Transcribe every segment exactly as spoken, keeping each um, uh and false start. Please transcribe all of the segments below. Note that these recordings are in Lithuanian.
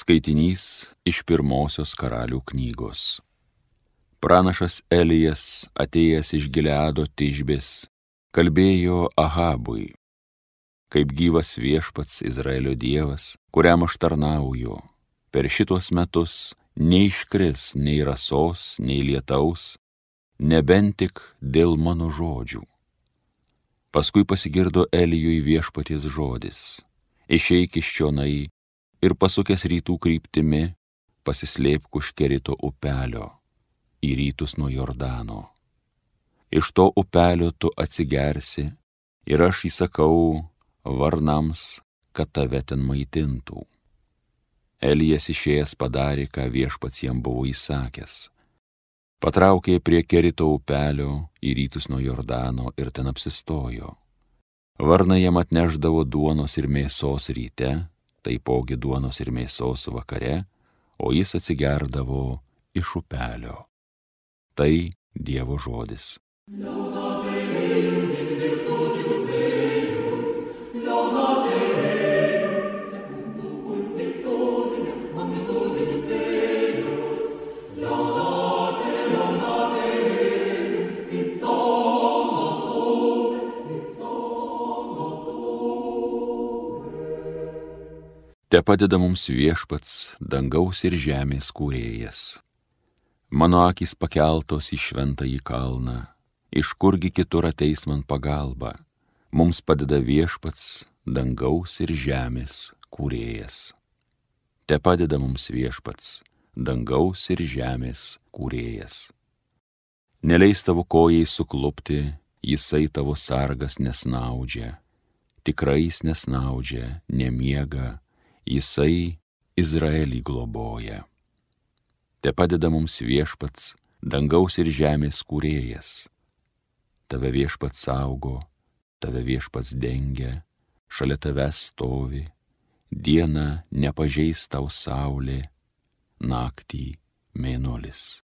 Skaitinys iš pirmosios Karalių knygos. Pranašas Elijas, atėjęs iš Gileado Tišbės, kalbėjo Ahabui: kaip gyvas viešpats Izraelio Dievas, kuriam aš tarnauju, per šitos metus neiškris nei rasos, nei lietaus, nebent tik dėl mano žodžių. Paskui pasigirdo Elijui viešpaties žodis: išeik iš čionai ir pasukęs rytų kryptimi, pasislėpk už Kerito upelio, į rytus nuo Jordano. Iš to upelio tu atsigersi, ir aš įsakau varnams, kad tave ten maitintų. Elijas išėjęs padarė, ką viešpats jam buvo įsakęs. Patraukė prie Kerito upelio, į rytus nuo Jordano, ir ten apsistojo. Varnai jam atnešdavo duonos ir mėsos ryte, taipogi duonos ir mėsos vakare, o jis atsigerdavo iš upelio. Tai Dievo žodis. Te padeda mums viešpats, dangaus ir žemės kūrėjas. Mano akys pakeltos į šventąjį kalną, iš kurgi kitur ateis man pagalba. Mums padeda viešpats, dangaus ir žemės kūrėjas. Te padeda mums viešpats, dangaus ir žemės kūrėjas. Neleis tavo kojai suklupti, jisai tavo sargas nesnaudžia, tikrai jis nesnaudžia, nemiega, jisai Izraelį globoja. Te padeda mums viešpats, dangaus ir žemės kūrėjas. Tave viešpats saugo, tave viešpats dengia, šalia tavęs stovi, dieną nepažeis tau saulė, naktį mėnulis.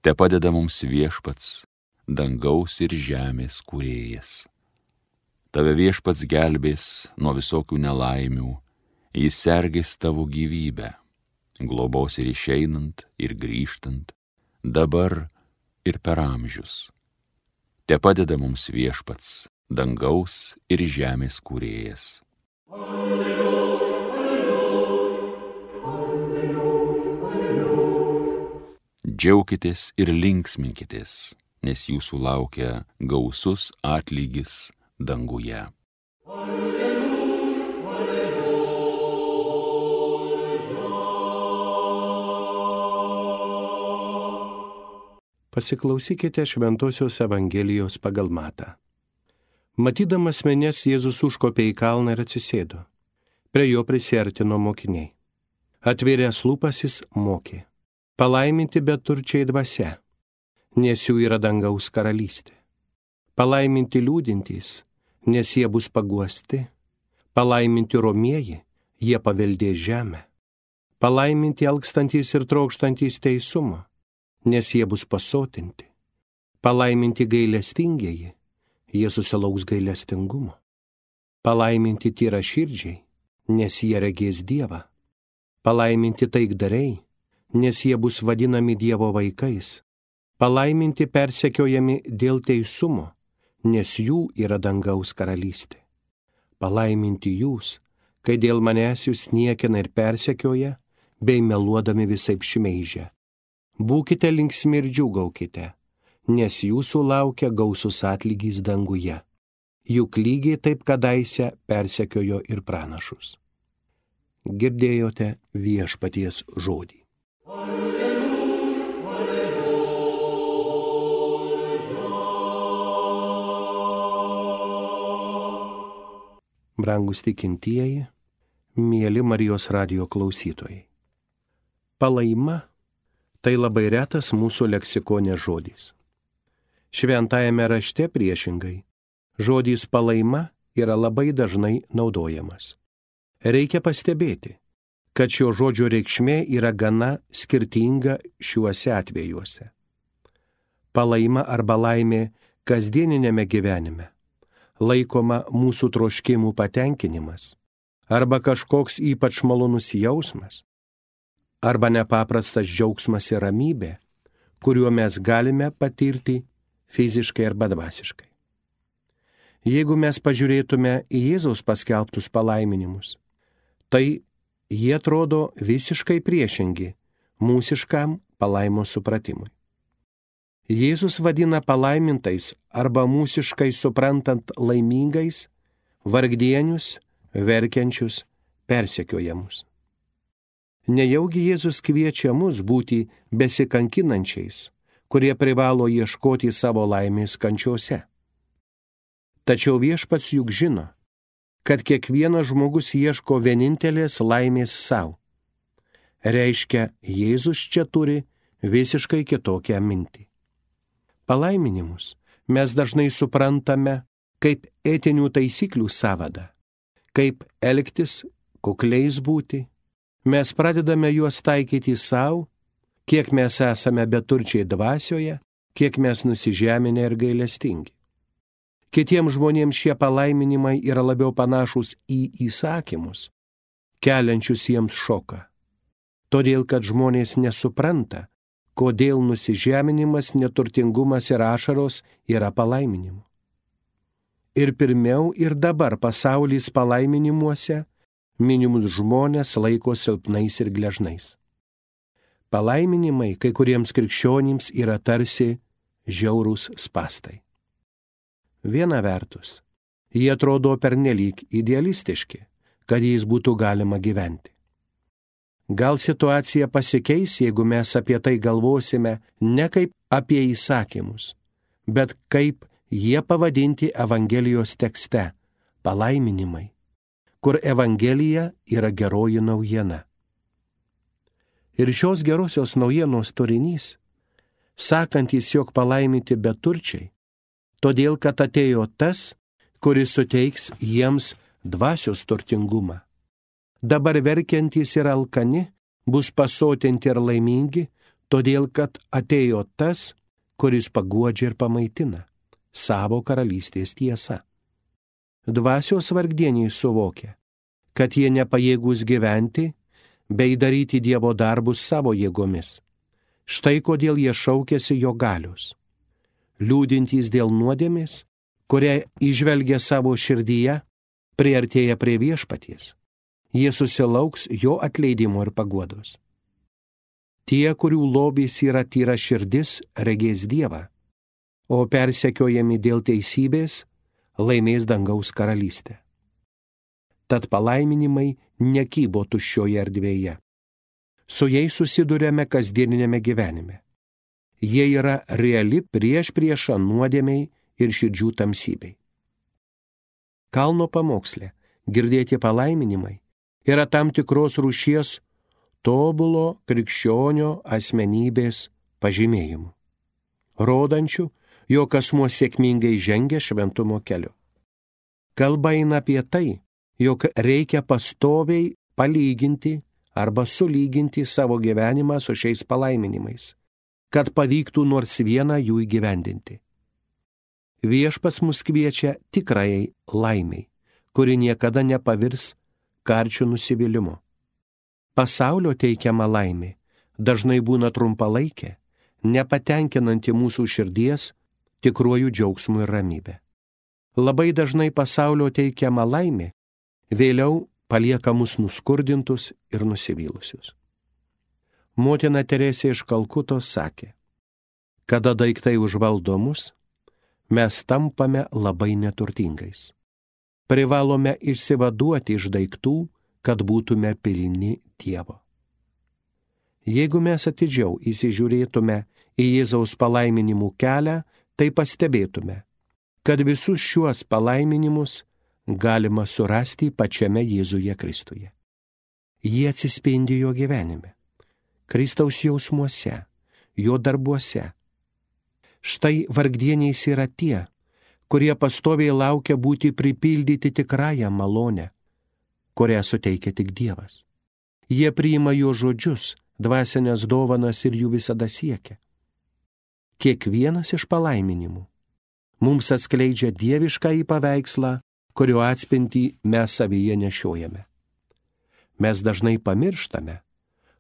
Te padeda mums viešpats, dangaus ir žemės kūrėjas. Tave viešpats gelbės nuo visokių nelaimių, jis sergės tavo gyvybę, globos ir išeinant, ir grįžtant, dabar ir per amžius. Te padeda mums viešpats, dangaus ir žemės kūrėjas. Alleluja, alleluja, alleluja, alleluja. Džiaukitės ir linksminkitės, nes jūsų laukia gausus atlygis danguje. Pasiklausykite Šventosios Evangelijos pagal Matą. Matydamas minias, Jėzus užkopė į kalną ir atsisėdo. Prie jo prisiartino mokiniai. Atvėręs lūpas jis mokė: palaiminti beturčiai dvasia, nes jų yra dangaus karalystė. Palaiminti liūdintys, nes jie bus paguosti. Palaiminti romieji, jie paveldės žemę. Palaiminti alkstantys ir trokštantys teisumo, nes jie bus pasotinti. Palaiminti gailestingieji, jie susilauks gailestingumo. Palaiminti tyraširdžiai, nes jie regės Dievą. Palaiminti taikdariai, nes jie bus vadinami Dievo vaikais. Palaiminti persekiojami dėl teisumo, nes jų yra dangaus karalystė. Palaiminti jūs, kai dėl manęs jūs niekina ir persekioja, bei meluodami visaip šmeižia. Būkite linksmi ir džiūgaukite, nes jūsų laukia gausus atlygis danguje. Juk lygiai taip kadaise persekiojo ir pranašus. Girdėjote viešpaties žodį. Alleluja, alleluja. Brangus tikintieji, mieli Marijos radijo klausytojai. Palaima tai labai retas mūsų leksikone žodis. Šventajame rašte priešingai, žodis palaima yra labai dažnai naudojamas. Reikia pastebėti, kad šio žodžio reikšmė yra gana skirtinga šiuose atvejuose. Palaima arba laimė kasdieninėme gyvenime laikoma mūsų troškimų patenkinimas arba kažkoks ypač malonus jausmas, arba nepaprastas džiaugsmas ir ramybė, kuriuo mes galime patirti fiziškai arba dvasiškai. Jeigu mes pažiūrėtume į Jėzaus paskelbtus palaiminimus, tai jie atrodo visiškai priešingi mūsiškam palaimo supratimui. Jėzus vadina palaimintais arba mūsiškai suprantant laimingais, vargdienius, verkiančius, persekiojamus. Nejaugi Jėzus kviečia mus būti besikankinančiais, kurie privalo ieškoti savo laimės kančiose. Tačiau Viešpats juk žino, kad kiekvienas žmogus ieško vienintelės laimės savo. Reiškia, Jėzus čia turi visiškai kitokią mintį. Palaiminimus mes dažnai suprantame kaip etinių taisyklių sąvadą, kaip elgtis, kukliais būti. Mes pradedame juos taikyti savo, kiek mes esame beturčiai dvasioje, kiek mes nusižeminę ir gailestingi. Kitiems žmonėms šie palaiminimai yra labiau panašus į įsakymus, keliančius jiems šoką. Todėl, kad žmonės nesupranta, kodėl nusižeminimas, neturtingumas ir ašaros yra palaiminimu. Ir pirmiau ir dabar pasaulis palaiminimuose minimus žmonės laiko silpnais ir gležnais. Palaiminimai kai kuriems krikščionims yra tarsi žiaurūs spastai. Viena vertus, jie atrodo pernelyg idealistiški, kad jais būtų galima gyventi. Gal situacija pasikeis, jeigu mes apie tai galvosime ne kaip apie įsakymus, bet kaip jie pavadinti Evangelijos tekste – palaiminimai, kur Evangelija yra geroji naujiena. Ir šios gerosios naujienos turinys, sakantis, jog palaiminti beturčiai, todėl, kad atėjo tas, kuris suteiks jiems dvasios turtingumą. Dabar verkiantys ir alkani bus pasotinti ir laimingi, todėl, kad atėjo tas, kuris paguodžia ir pamaitina savo karalystės tiesa. Dvasios vargdieniai suvokia, kad jie nepajėgūs gyventi bei daryti Dievo darbus savo jėgomis. Štai kodėl jie šaukiasi jo galios. Liūdintys dėl nuodėmės, kurią įžvelgia savo širdyje, priartėja prie Viešpaties. Jie susilauks jo atleidimo ir paguodos. Tie, kurių lobis yra tyra širdis, regės Dievą, o persekiojami dėl teisybės laimės dangaus karalystę. Tad palaiminimai nekybo tuščioje erdvėje. Su jais susiduriame kasdieninėme gyvenime. Jie yra reali priešprieša nuodėmei ir širdžių tamsybei. Kalno pamoksle girdėti palaiminimai yra tam tikros rūšies tobulo krikščionio asmenybės pažymėjimų, rodančių, jog asmuo sėkmingai žengia šventumo keliu. Kalba eina apie tai, jog reikia pastoviai palyginti arba sulyginti savo gyvenimą su šiais palaiminimais, kad pavyktų nors vieną jų įgyvendinti. Viešpats mus kviečia tikrajai laimiai, kuri niekada nepavirs karčių nusivylimu. Pasaulio teikiama laimė dažnai būna trumpalaikė, nepatenkinanti mūsų širdies tikruoju džiaugsmu ir ramybė. Labai dažnai pasaulio teikiama laimė vėliau palieka mus nuskurdintus ir nusivylusius. Motina Teresė iš Kalkutos sakė, kada daiktai užvaldo mus, mes tampame labai neturtingais. Privalome išsivaduoti iš daiktų, kad būtume pilni Dievo. Jeigu mes atidžiau įsižiūrėtume į Jėzaus palaiminimų kelią, tai pastebėtume, kad visus šiuos palaiminimus galima surasti pačiame Jėzuje Kristuje. Jie atsispindi jo gyvenime, Kristaus jausmuose, jo darbuose. Štai vargdieniais yra tie, kurie pastoviai laukia būti pripildyti tikrąją malonę, kurią suteikia tik Dievas. Jie priima jo žodžius, dvasinės dovanas ir jų visada siekia. Kiekvienas iš palaiminimų mums atskleidžia dieviškąjį paveikslą, kurio atspindį mes savyje nešiojame. Mes dažnai pamirštame,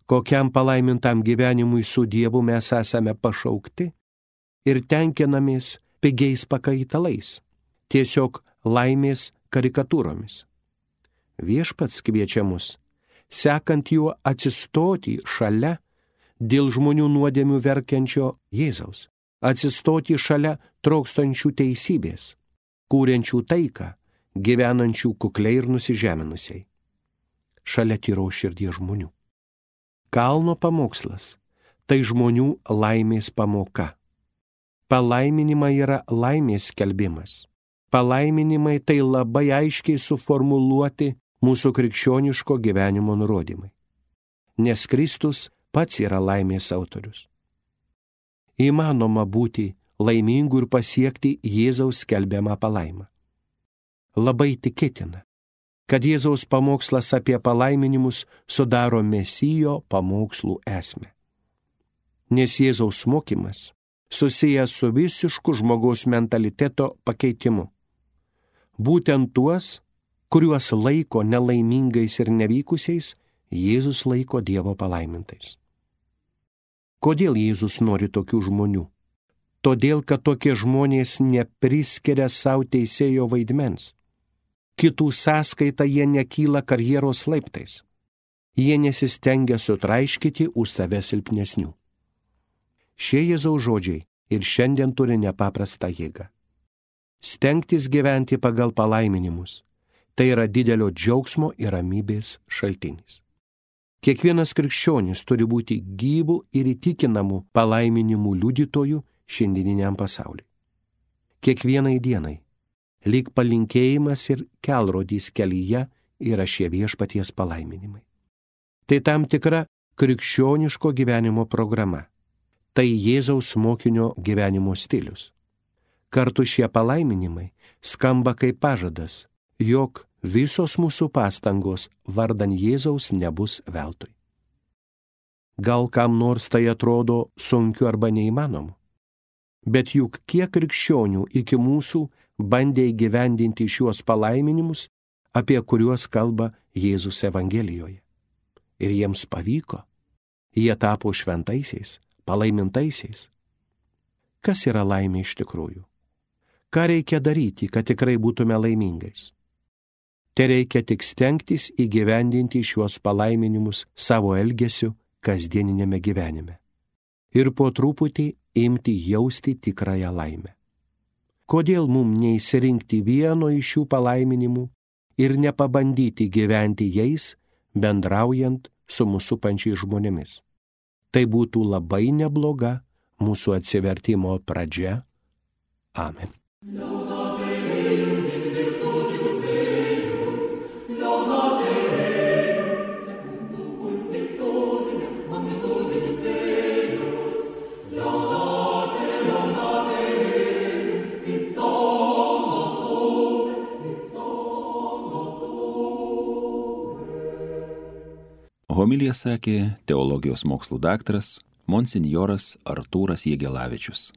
kokiam palaimintam gyvenimui su Dievu mes esame pašaukti ir tenkinamės pigiais pakaitalais, tiesiog laimės karikatūromis. Viešpats kviečia mus, sekant juo atsistoti šalia dėl žmonių nuodėmių verkiančio Jėzaus, atsistoti šalia trokštančių teisybės, kūrenčių taiką, gyvenančių kukliai ir nusižeminusiai, šalia tyros širdies žmonių. Kalno pamokslas – tai žmonių laimės pamoka. Palaiminimai yra laimės skelbimas. Palaiminimai tai labai aiškiai suformuluoti mūsų krikščioniško gyvenimo nurodymai. Nes Kristus pats yra laimės autorius. Įmanoma būti laimingu ir pasiekti Jėzaus skelbiamą palaimą. Labai tikėtina, kad Jėzaus pamokslas apie palaiminimus sudaro Mesijo pamokslų esmę. Nes Jėzaus mokymas susijęs su visišku žmogaus mentaliteto pakeitimu. Būtent tuos, kuriuos laiko nelaimingais ir nevykusiais, Jėzus laiko Dievo palaimintais. Kodėl Jėzus nori tokių žmonių? Todėl, kad tokie žmonės nepriskiria savo teisėjo vaidmens. Kitų sąskaita jie nekyla karjeros laiptais. Jie nesistengia sutraiškyti už save silpnesnių. Šie Jėzaus žodžiai ir šiandien turi nepaprastą jėgą. Stengtis gyventi pagal palaiminimus – tai yra didelio džiaugsmo ir ramybės šaltinis. Kiekvienas krikščionis turi būti gyvų ir įtikinamų palaiminimų liudytojų šiandieniniam pasauliui. Kiekvienai dienai, lyg palinkėjimas ir kelrodys kelyje, yra šie viešpaties palaiminimai. Tai tam tikra krikščioniško gyvenimo programa. Tai Jėzaus mokinio gyvenimo stilius. Kartu šie palaiminimai skamba kaip pažadas, jog visos mūsų pastangos vardan Jėzaus nebus veltui. Gal kam nors tai atrodo sunkiu arba neįmanomu, bet juk kiek krikščionių iki mūsų bandė įgyvendinti šiuos palaiminimus, apie kuriuos kalba Jėzus Evangelijoje. Ir jiems pavyko. Jie tapo šventaisiais, palaimintaisiais. Kas yra laimė iš tikrųjų? Ką reikia daryti, kad tikrai būtume laimingais? Te reikia tik stengtis įgyvendinti šiuos palaiminimus savo elgesiu kasdieninėme gyvenime. Ir po truputį imti jausti tikrąją laimę. Kodėl mums neįsirinkti vieno iš šių palaiminimų ir nepabandyti gyventi jais, bendraujant su mūsų pančiais žmonėmis? Tai būtų labai nebloga mūsų atsivertimo pradžia. Amen. Homiliją sakė teologijos mokslų daktaras monsinjoras Artūras Jegelavičius.